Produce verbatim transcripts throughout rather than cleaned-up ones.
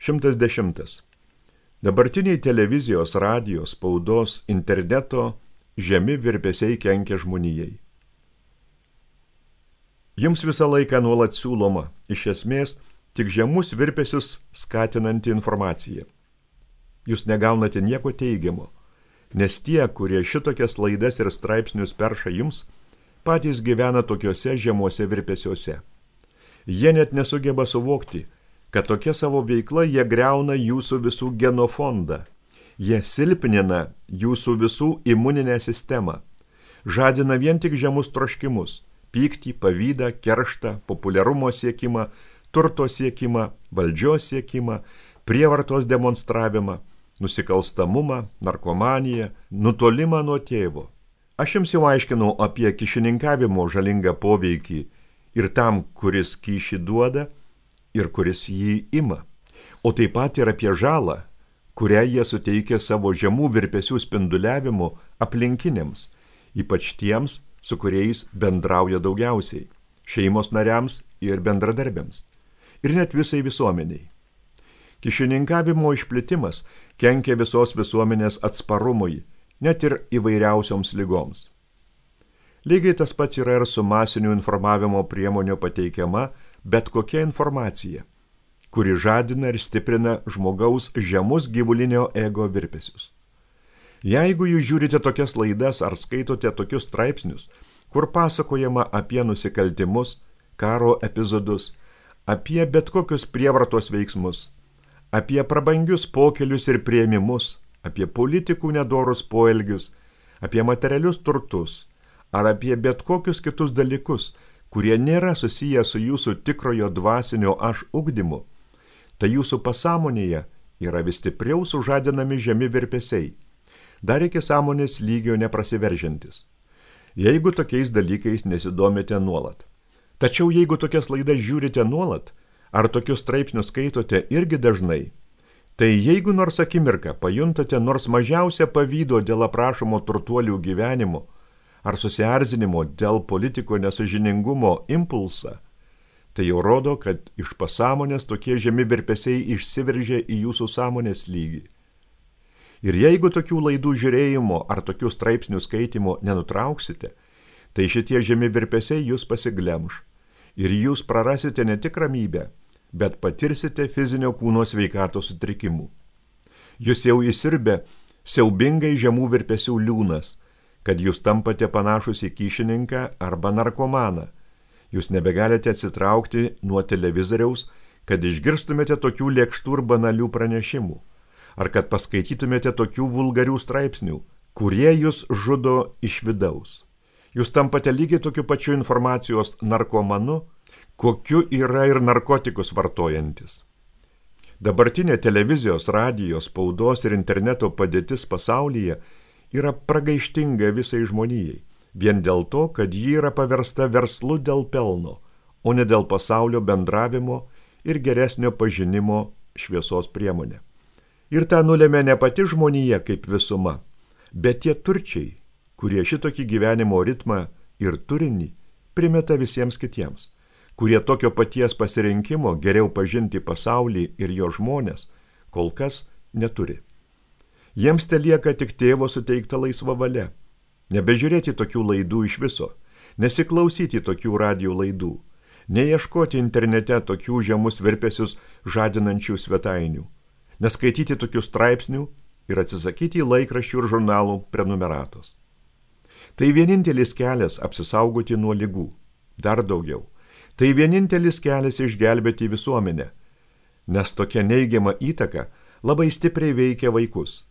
šimtas dešimtas. Dabartiniai televizijos, radijos, spaudos, interneto žemi virpesiai kenkia žmonijai. Jums visą laiką nuolat siūloma, iš esmės, tik žemus virpesius skatinanti informacija. Jūs negaunate nieko teigiamo, nes tie, kurie šitokias laidas ir straipsnius perša jums, patys gyvena tokiuose žemuose virpesiuose. Jie net nesugeba suvokti, kad tokia savo veikla jie griauna jūsų visų genofondą. Jie silpnina jūsų visų imuninę sistemą, žadina vien tik žemus troškimus, pyktį, pavydą, kerštą, populiarumo siekimą, turto siekimą, valdžios siekimą, prievartos demonstravimą, nusikalstamumą, narkomaniją, nutolimą nuo tėvo. Aš jums jau aiškinau apie kyšininkavimo žalingą poveikį ir tam, kuris kyšį duoda ir kuris jį ima, o taip pat ir apie žalą, kurią jie suteikia savo žemų virpesių spinduliavimu aplinkiniams, ypač tiems, su kuriais bendrauja daugiausiai, šeimos nariams ir bendradarbiams, ir net visai visuomeniai. Kyšininkavimo išplitimas kenkia visos visuomenės atsparumui, net ir įvairiausioms ligoms. Lygiai tas pats yra ir su masinių informavimo priemonių pateikiama bet kokia informacija, kuri žadina ir stiprina žmogaus žemus gyvulinio ego virpesius. Jeigu jūs žiūrite tokias laidas ar skaitote tokius straipsnius, kur pasakojama apie nusikaltimus, karo epizodus, apie bet kokius prievartos veiksmus, apie prabangius pokelius ir priėmimus, apie politikų nedorus poelgius, apie materialius turtus, ar apie bet kokius kitus dalykus, kurie nėra susiję su jūsų tikrojo dvasinio aš ugdymu, tai jūsų pasąmonėje yra vis stipriau sužadinami žemi virpesiai, dar iki sąmonės lygio neprasiveržiantis, jeigu tokiais dalykais nesidomite nuolat. Tačiau jeigu tokias laidas žiūrite nuolat, ar tokius straipsnius skaitote irgi dažnai, tai jeigu nors akimirką pajuntate nors mažiausią pavydo dėl aprašomo turtuolių gyvenimo, ar susierzinimo dėl politiko nesąžiningumo impulsą, tai jau rodo, kad iš pasąmonės tokie žemi virpesiai išsiveržia į jūsų sąmonės lygį. Ir jeigu tokių laidų žiūrėjimo ar tokių straipsnių skaitimo nenutrauksite, tai šitie žemi virpesiai jūs pasiglemš ir jūs prarasite ne tik ramybę, bet patirsite fizinio kūno sveikatos sutrikimų. Jūs jau įsirbė siaubingai žemų virpesių liūnas, kad jūs tampate panašus į kyšininką arba narkomaną. Jūs nebegalite atsitraukti nuo televizoriaus, kad išgirstumėte tokių lėkštų ir banalių pranešimų, ar kad paskaitytumėte tokių vulgarių straipsnių, kurie jūs žudo iš vidaus. Jūs tampate lygiai tokiu pačiu informacijos narkomanu, kokiu yra ir narkotikus vartojantis. Dabartinė televizijos, radijos, spaudos ir interneto padėtis pasaulyje yra pragaištinga visai žmonijai, vien dėl to, kad ji yra paversta verslu dėl pelno, o ne dėl pasaulio bendravimo ir geresnio pažinimo šviesos priemonė. Ir tą nulėmė ne pati žmonija kaip visuma, bet tie turčiai, kurie šitokį gyvenimo ritmą ir turinį primeta visiems kitiems, kurie tokio paties pasirinkimo geriau pažinti pasaulį ir jo žmonės kol kas neturi. Jiems telieka tik tėvo suteikta laisva valia, nebežiūrėti tokių laidų iš viso, nesiklausyti tokių radijo laidų, neieškoti internete tokių žemus virpesius žadinančių svetainių, neskaityti tokių straipsnių ir atsisakyti laikraščių ir žurnalų prenumeratos. Tai vienintelis kelias apsisaugoti nuo ligų, dar daugiau. Tai vienintelis kelias išgelbėti visuomenę, nes tokia neigiama įtaka labai stipriai veikia vaikus.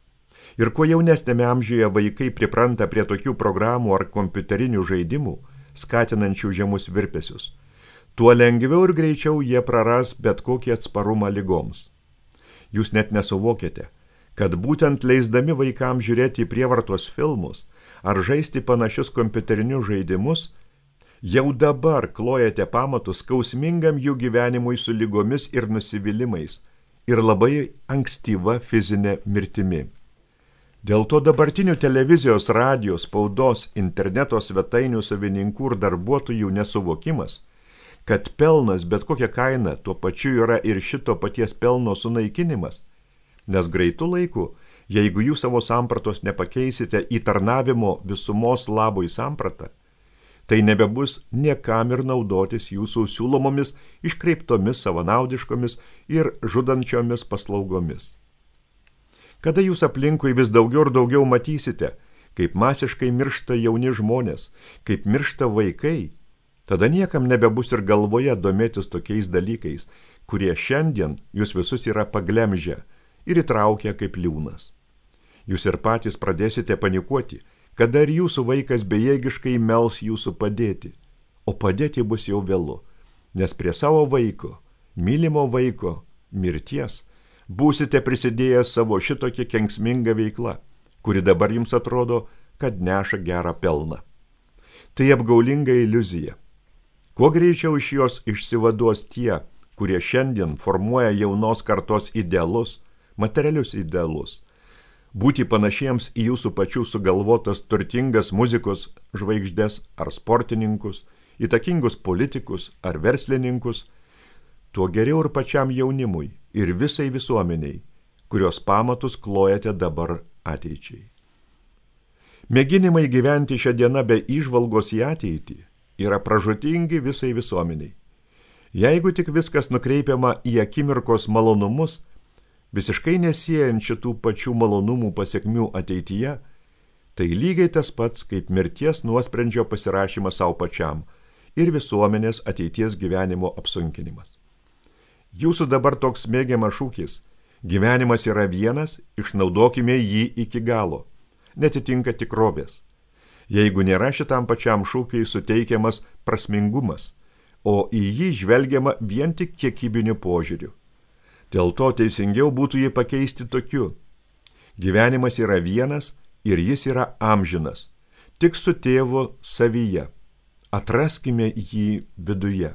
Ir kuo jaunesnėme amžiuje vaikai pripranta prie tokių programų ar kompiuterinių žaidimų, skatinančių žemus virpesius, tuo lengviau ir greičiau jie praras bet kokį atsparumą ligoms. Jūs net nesuvokėte, kad būtent leisdami vaikams žiūrėti prievartos filmus ar žaisti panašius kompiuterinius žaidimus, jau dabar klojate pamatus skausmingam jų gyvenimui su ligomis ir nusivylimais ir labai ankstyva fizinė mirtimi. Dėl to dabartinių televizijos, radijos, spaudos, interneto svetainių savininkų ir darbuotojų nesuvokimas, kad pelnas bet kokia kaina tuo pačiu yra ir šito paties pelno sunaikinimas, nes greitu laiku, jeigu jūs savo sampratos nepakeisite į tarnavimo visumos labui sampratą, tai nebebus niekam ir naudotis jūsų siūlomomis, iškreiptomis, savanaudiškomis ir žudančiomis paslaugomis. Kada jūs aplinkui vis daugiau ir daugiau matysite, kaip masiškai miršta jauni žmonės, kaip miršta vaikai, tada niekam nebebus ir galvoje domėtis tokiais dalykais, kurie šiandien jūs visus yra paglemžę ir įtraukę kaip liūnas. Jūs ir patys pradėsite panikuoti, kada ir jūsų vaikas bejėgiškai mels jūsų padėti, o padėti bus jau vėlu, nes prie savo vaiko, mylimo vaiko, mirties, būsite prisidėjęs savo šitokią kenksmingą veiklą, kuri dabar jums atrodo, kad neša gerą pelną. Tai apgaulinga iliuzija. Kuo greičiau iš jos išsivaduos tie, kurie šiandien formuoja jaunos kartos idealus, materialius idealus, būti panašiems į jūsų pačių sugalvotas turtingas muzikos žvaigždes ar sportininkus, įtakingus politikus ar verslininkus, tuo geriau ir pačiam jaunimui ir visai visuomeniai, kurios pamatus klojate dabar ateičiai. Mėginimai gyventi šią dieną be įžvalgos į ateitį yra pražūtingi visai visuomeniai. Jeigu tik viskas nukreipiama į akimirkos malonumus, visiškai nesiejant šitų pačių malonumų pasiekmių ateityje, tai lygiai tas pats kaip mirties nuosprendžio pasirašymas savo pačiam ir visuomenės ateities gyvenimo apsunkinimas. Jūsų dabar toks mėgiamas šūkis – gyvenimas yra vienas, išnaudokime jį iki galo, netitinka tikrovės. Jeigu nėra šitam pačiam šūkiai suteikiamas prasmingumas, o į jį žvelgiama vien tik kiekybiniu požiūriu. Dėl to teisingiau būtų jį pakeisti tokiu. Gyvenimas yra vienas ir jis yra amžinas, tik su tėvu savyje. Atraskime jį viduje.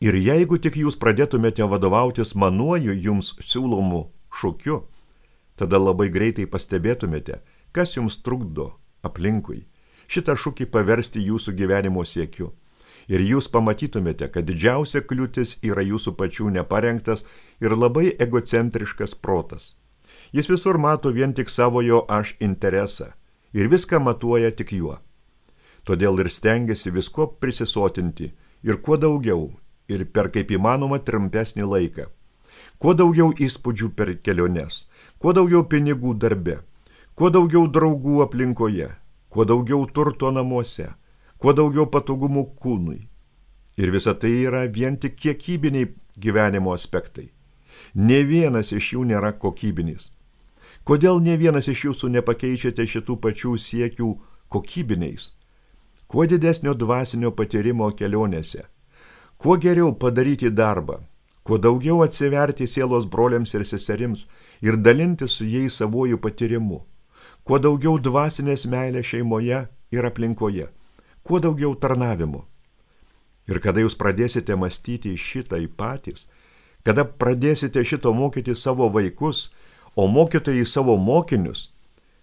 Ir jeigu tik jūs pradėtumėte vadovautis manuoju jums siūlomu šūkiu, tada labai greitai pastebėtumėte, kas jums trukdo aplinkui šitą šūkį paversti jūsų gyvenimo siekiu. Ir jūs pamatytumėte, kad didžiausia kliūtis yra jūsų pačių neparengtas ir labai egocentriškas protas. Jis visur mato vien tik savojo aš interesą ir viską matuoja tik juo. Todėl ir stengiasi visko prisisotinti ir kuo daugiau ir per kaip įmanoma trumpesnį laiką. Kuo daugiau įspūdžių per keliones, kuo daugiau pinigų darbe, kuo daugiau draugų aplinkoje, kuo daugiau turto namuose, kuo daugiau patogumų kūnui. Ir visa tai yra vien tik kiekybiniai gyvenimo aspektai. Nė vienas iš jų nėra kokybinis. Kodėl nė vienas iš jūsų nepakeičiate šitų pačių siekių kokybiniais? Kuo didesnio dvasinio patyrimo kelionėse, kuo geriau padaryti darbą, kuo daugiau atsiverti sielos broliams ir seserims ir dalinti su jais savojų patyrimu, kuo daugiau dvasinės meilės šeimoje ir aplinkoje, kuo daugiau tarnavimo. Ir kada jūs pradėsite mąstyti šitai patys, kada pradėsite šito mokyti savo vaikus, o mokytojai savo mokinius,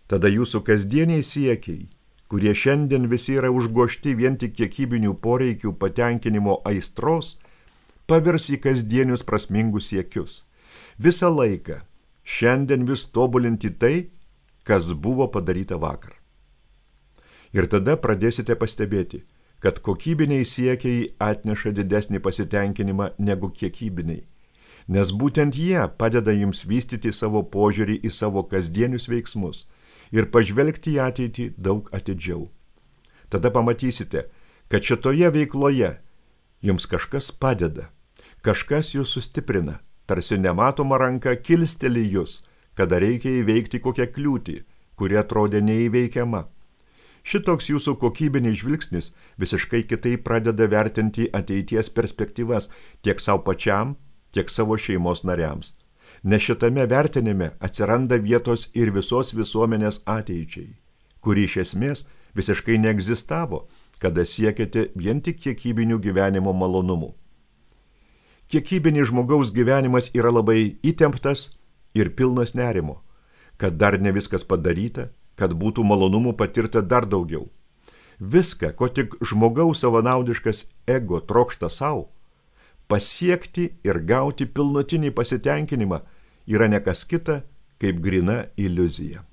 tada jūsų kasdieniai siekiai, kurie šiandien visi yra užgošti vien tik kiekybinių poreikių patenkinimo aistros, pavirs į kasdienius prasmingus siekius. Visą laiką šiandien vis tobulinti tai, kas buvo padaryta vakar. Ir tada pradėsite pastebėti, kad kokybiniai siekiai atneša didesnį pasitenkinimą negu kiekybiniai, nes būtent jie padeda jums vystyti savo požiūrį į savo kasdienius veiksmus ir pažvelgti į ateitį daug atidžiau. Tada pamatysite, kad šitoje veikloje jums kažkas padeda, kažkas jūs sustiprina, tarsi nematoma ranka kilsteli jūs, kada reikia įveikti kokią kliūtį, kuri atrodė neįveikiama. Šitoks jūsų kokybinis žvilgsnis visiškai kitaip pradeda vertinti ateities perspektyvas tiek savo pačiam, tiek savo šeimos nariams. Nes šitame vertinime atsiranda vietos ir visos visuomenės ateičiai, kuri iš esmės visiškai neegzistavo, kada siekėte vien tik kiekybinių gyvenimo malonumų. Kiekybinis žmogaus gyvenimas yra labai įtemptas ir pilnas nerimo, kad dar ne viskas padaryta, kad būtų malonumų patirta dar daugiau. Viską, ko tik žmogaus savanaudiškas ego trokšta savo, pasiekti ir gauti pilnutinį pasitenkinimą yra ne kas kita, kaip grina iliuzija.